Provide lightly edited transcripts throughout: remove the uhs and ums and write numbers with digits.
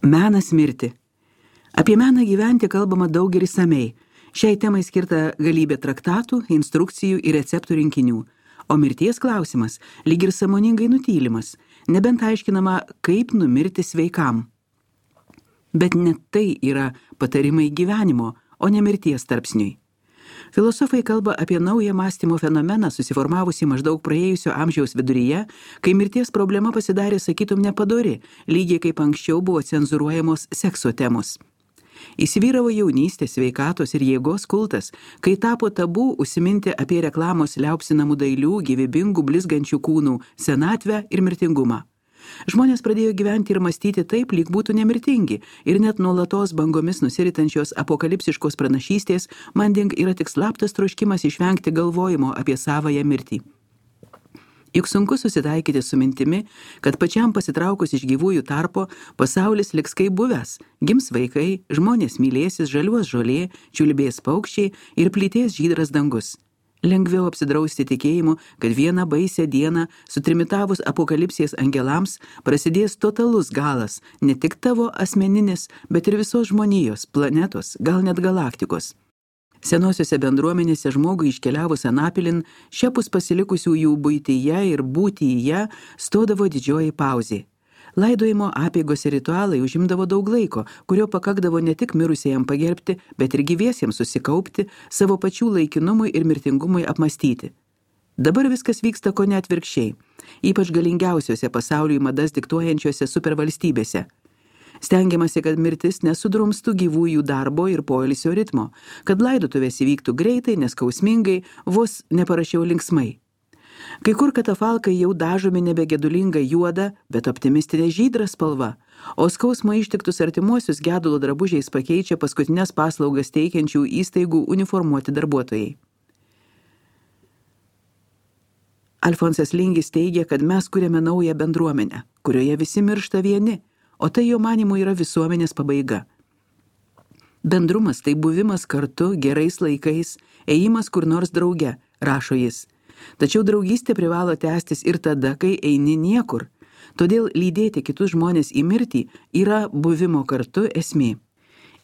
Menas mirti. Apie meną gyventi kalbama daug ir išsamei. Šiai temai skirta galybė traktatų, instrukcijų ir receptų rinkinių. O mirties klausimas lyg ir sąmoningai nutylimas, nebent aiškinama, kaip numirti sveikam. Bet net tai yra patarimai gyvenimo, o ne mirties tarpsniui. Filosofai kalba apie naują mąstymo fenomeną susiformavusį maždaug praėjusio amžiaus viduryje, kai mirties problema pasidarė, sakytum, nepadori, lygiai kaip anksčiau buvo cenzūruojamos sekso temos. Įsivyravo jaunystės, sveikatos ir jėgos kultas, kai tapo tabu užsiminti apie reklamos liaupsinamų dailių, gyvybingų, blizgančių kūnų senatvę ir mirtingumą. Žmonės pradėjo gyventi ir mąstyti taip, lyg būtų nemirtingi, ir net nuolatos bangomis nusiritančios apokalipsiškos pranašystės manding yra tik slaptas troškimas išvengti galvojimo apie savąją mirtį. Juk sunku susitaikyti su mintimi, kad pačiam pasitraukus iš gyvųjų tarpo pasaulis liks kaip buvęs, gims vaikai, žmonės mylėsis, žaliuos žolė, čiulbės paukščiai ir plytės žydras dangus. Lengviau apsidrausti tikėjimu, kad vieną baisią dieną, sutrimitavus apokalipsės angelams, prasidės totalus galas, ne tik tavo asmeninis, bet ir visos žmonijos, planetos, gal net galaktikos. Senosiuose bendruomenėse žmogui iškeliavus anapilin, šiapus pasilikusiųjų buityje ir būtyje stodavo didžioji pauzė. Laidojimo apeigos ir ritualai užimdavo daug laiko, kurio pakakdavo ne tik mirusiejam pagerbti, bet ir gyviesiems susikaupti, savo pačių laikinumui ir mirtingumui apmastyti. Dabar viskas vyksta ko net atvirkščiai, ypač galingiausiose pasauliui madas diktuojančiose supervalstybėse. Stengiamasi, kad mirtis nesudrumstų gyvųjų darbo ir poilsio ritmo, kad laidotuvės įvyktų greitai, neskausmingai, vos neparašiau linksmai. Kai kur katafalkai jau dažomi nebegedulinga juoda, bet optimistinė žydra spalva, o skausmo ištiktus artimuosius gedulo drabužiais pakeičia paskutinės paslaugas teikiančių įstaigų uniformuoti darbuotojai. Alfonsas Lingis teigia, kad mes kuriame naują bendruomenę, kurioje visi miršta vieni, o tai jo manymu yra visuomenės pabaiga. Bendrumas tai buvimas kartu, gerais laikais, ėjimas kur nors drauge, rašo jis. Tačiau draugystė privalo tęstis ir tada, kai eini niekur. Todėl lydėti kitus žmonės į mirtį yra buvimo kartu esmė.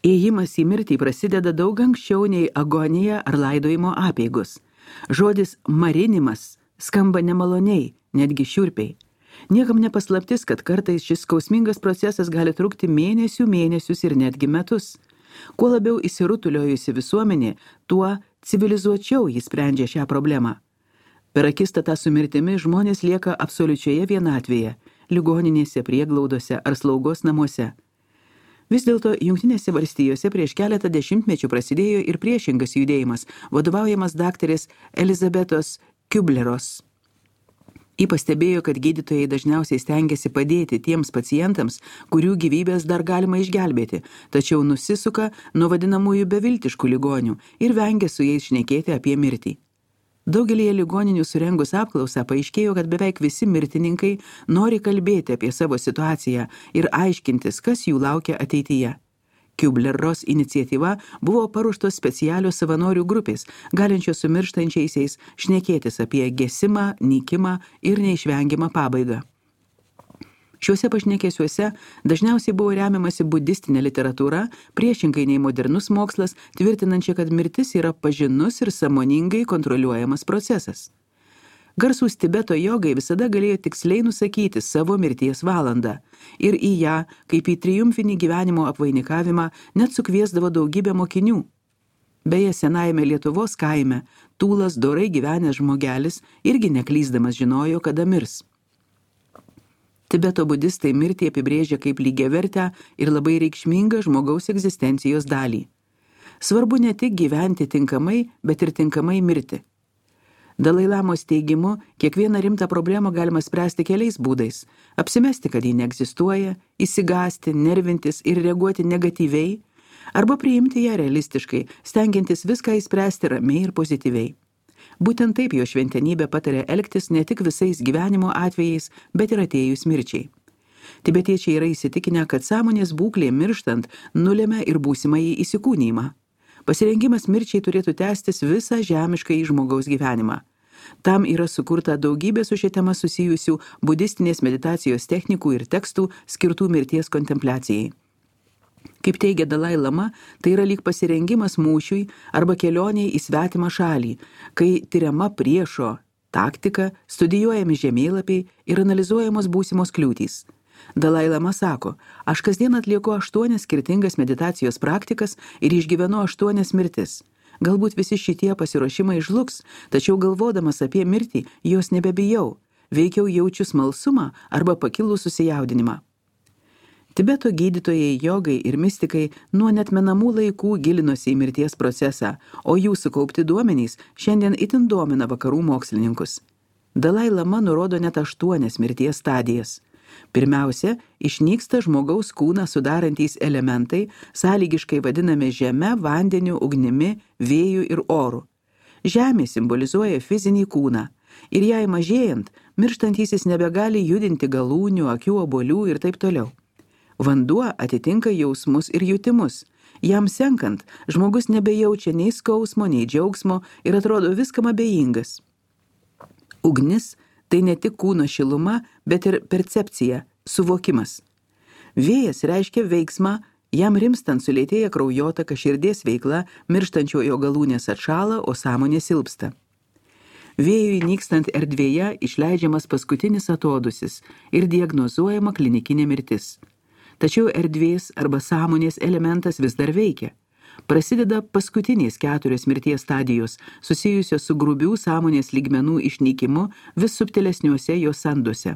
Ėjimas į mirtį prasideda daug anksčiau nei agonija ar laidojimo apeigos. Žodis marinimas skamba nemaloniai, netgi šiurpiai. Niekam nepaslaptis, kad kartais šis skausmingas procesas gali trukti mėnesius ir netgi metus. Kuo labiau įsirutuliojusi visuomenė, tuo civilizuočiau jis sprendžia šią problemą. Per akistatą su mirtimi žmonės lieka absoliučioje vienatvėje, ligoninėse, prieglaudose ar slaugos namuose. Vis dėlto Jungtinėse valstijose prieš keletą dešimtmečių prasidėjo ir priešingas judėjimas, vadovaujamas daktarės Elizabetos Kubleros. Ji pastebėjo, kad gydytojai dažniausiai stengiasi padėti tiems pacientams, kurių gyvybės dar galima išgelbėti, tačiau nusisuka nuo vadinamųjų beviltiškų ligonių ir vengia su jais šnekėti apie mirtį. Daugelėje ligoninių surengus apklausą paaiškėjo, kad beveik visi mirtininkai nori kalbėti apie savo situaciją ir aiškintis, kas jų laukia ateityje. Kubler-Ross iniciatyva buvo paruoštos specialios savanorių grupės, galinčios su mirštančiaisiais šnekėtis apie gesimą, nykimą ir neišvengiamą pabaigą. Šiuose pašnekėsiuose dažniausiai buvo remiamasi budistinė literatūra, priešingai nei modernus mokslas, tvirtinančia, kad mirtis yra pažinus ir sąmoningai kontroliuojamas procesas. Garsūs Tibeto jogai visada galėjo tiksliai nusakyti savo mirties valandą ir į ją, kaip į triumfinį gyvenimo apvainikavimą, net sukviesdavo daugybę mokinių. Beje, senajame Lietuvos kaime Tūlas dorai gyvenęs žmogelis irgi neklysdamas žinojo, kada mirs. Tibeto budistai mirtį apibrėžia kaip lygiavertę ir labai reikšmingą žmogaus egzistencijos dalį. Svarbu ne tik gyventi tinkamai, bet ir tinkamai mirti. Dalai Lamos teigimu, kiekvieną rimtą problemą galima spręsti keliais būdais. Apsimesti, kad ji neegzistuoja, įsigąsti, nervintis ir reaguoti negatyviai, arba priimti ją realistiškai, stengiantis viską įspręsti ramiai ir pozityviai. Būtent taip jo šventenybė patarė elgtis ne tik visais gyvenimo atvejais, bet ir atėjus mirčiai. Tibetiečiai yra įsitikinę, kad sąmonės būklė mirštant nulėmė ir būsimąjį įsikūnijimą. Pasirengimas mirčiai turėtų tęstis visą žemišką į žmogaus gyvenimą. Tam yra sukurta daugybė su šia tema susijusių budistinės meditacijos technikų ir tekstų skirtų mirties kontempliacijai. Kaip teigia Dalai Lama, tai yra lyg pasirengimas mūšiui arba kelioniai į svetimą šalį, kai tyriama priešo taktika, studijuojami žemėlapiai ir analizuojamos būsimos kliūtys. Dalai Lama sako, aš kasdien atlieku 8 skirtingas meditacijos praktikas ir išgyvenu 8 mirtis. Galbūt visi šitie pasiruošimai žlugs, tačiau galvodamas apie mirtį, jos nebebijau, veikiau jaučiu smalsumą arba pakilų susijaudinimą. Tibeto gydytojai, jogai ir mistikai nuo netmenamų laikų gilinosi į mirties procesą, o jų sukaupti duomenys šiandien itin domina vakarų mokslininkus. Dalai Lama nurodo net 8 mirties stadijas. Pirmiausia, išnyksta žmogaus kūną sudarantys elementai, sąlygiškai vadinami žeme, vandeniu, ugnimi, vėju ir oru. Žemė simbolizuoja fizinį kūną ir jai mažėjant, mirštantysis nebegali judinti galūnių, akių, obuolių ir taip toliau. Vanduo atitinka jausmus ir jutimus. Jam senkant, žmogus nebejaučia nei skausmo, nei džiaugsmo ir atrodo viskam abejingas. Ugnis – tai ne tik kūno šiluma, bet ir percepcija, suvokimas. Vėjas reiškia veiksmą, jam rimstant sulėtėja kraujotaka, širdies veikla, mirštančiojo galūnės atšąla, o sąmonė silpsta. Vėjui nykstant erdvėje išleidžiamas paskutinis atodusis ir diagnozuojama klinikinė mirtis. Tačiau erdvės arba sąmonės elementas vis dar veikia. Prasideda paskutinės 4 mirties stadijos, susijusios su grubių sąmonės lygmenų išnykimu vis subtilesniuose jos sanduose.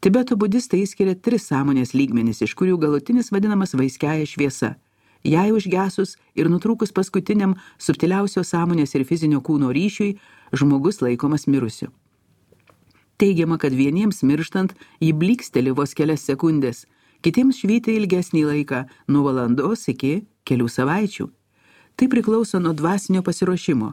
Tibeto budistai skiria 3 sąmonės lygmenis, iš kurių galutinis vadinamas vaiskiąja šviesa. Jai užgesus ir nutrūkus paskutiniam subtiliausio sąmonės ir fizinio kūno ryšiui, žmogus laikomas mirusiu. Teigiama, kad vieniems mirštant jį bliksteli vos kelias sekundės, kitiems švyti ilgesnį laiką, nuo valandos iki kelių savaičių. Tai priklauso nuo dvasinio pasiruošimo.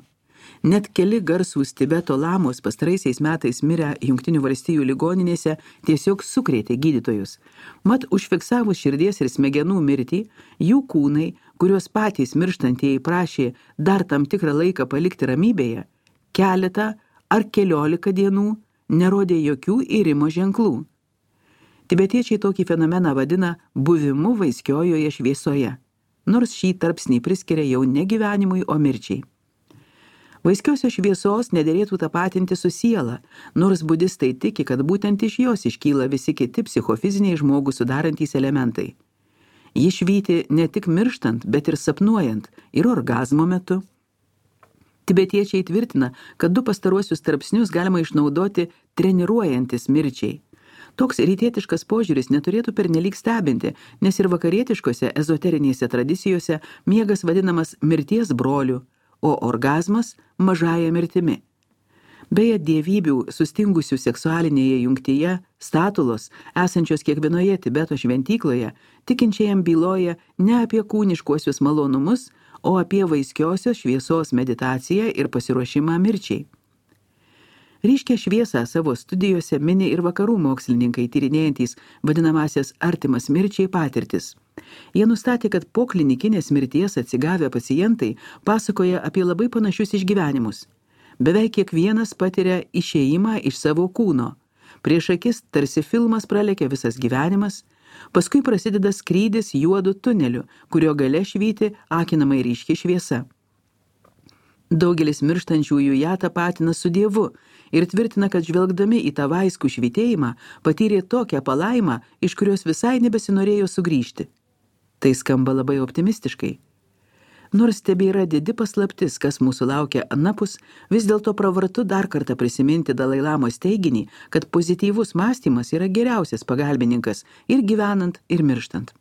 Net keli garsūs Tibeto lamos pastaraisiais metais mirę Jungtinių valstijų ligoninėse tiesiog sukrėtė gydytojus. Mat užfiksavus širdies ir smegenų mirtį, jų kūnai, kuriuos patys mirštantieji prašė dar tam tikrą laiką palikti ramybėje, keletą ar 14 dienų nerodė jokių irimo ženklų. Tibetiečiai tokį fenomeną vadina buvimu vaiskiojoje šviesoje, nors šį tarpsnį priskiria jau ne gyvenimui, o mirčiai. Vaiskiosios šviesos nederėtų tapatinti su siela, nors budistai tiki, kad būtent iš jos iškyla visi kiti psichofiziniai žmogų sudarantys elementai. Ji švyti ne tik mirštant, bet ir sapnuojant ir orgazmo metu. Tibetiečiai tvirtina, kad 2 pastaruosius tarpsnius galima išnaudoti treniruojantis mirčiai. Toks rytietiškas požiūris neturėtų pernelyg stebinti, nes ir vakarietiškose ezoterinėse tradicijose miegas vadinamas mirties broliu, o orgazmas mažąja mirtimi. Beje, dievybių sustingusių seksualinėje jungtyje, statulos, esančios kiekvienoje Tibeto šventykloje, tikinčiajam byloja ne apie kūniškuosius malonumus, o apie vaiskiosios šviesos meditaciją ir pasiruošimą mirčiai. Ryškią šviesą savo studijose mini ir vakarų mokslininkai tyrinėjantys vadinamasias artimas mirčiai patirtis. Jie nustatė, kad po klinikinės mirties atsigavę pacientai pasakoja apie labai panašius išgyvenimus. Beveik kiekvienas patiria išėjimą iš savo kūno. Prieš akis tarsi filmas pralekia visas gyvenimas, paskui prasideda skrydis juodu tuneliu, kurio gale švyti akinamai ryški šviesa. Daugelis mirštančiųjų ją tapatina su Dievu ir tvirtina, kad žvelgdami į tą vaiskų švytėjimą patyrė tokią palaimą, iš kurios visai nebesinorėjo sugrįžti. Tai skamba labai optimistiškai. Nors tebėra didi paslaptis, kas mūsų laukia anapus, vis dėlto pravartu dar kartą prisiminti Dalai Lamos teiginį, kad pozityvus mąstymas yra geriausias pagalbininkas ir gyvenant, ir mirštant.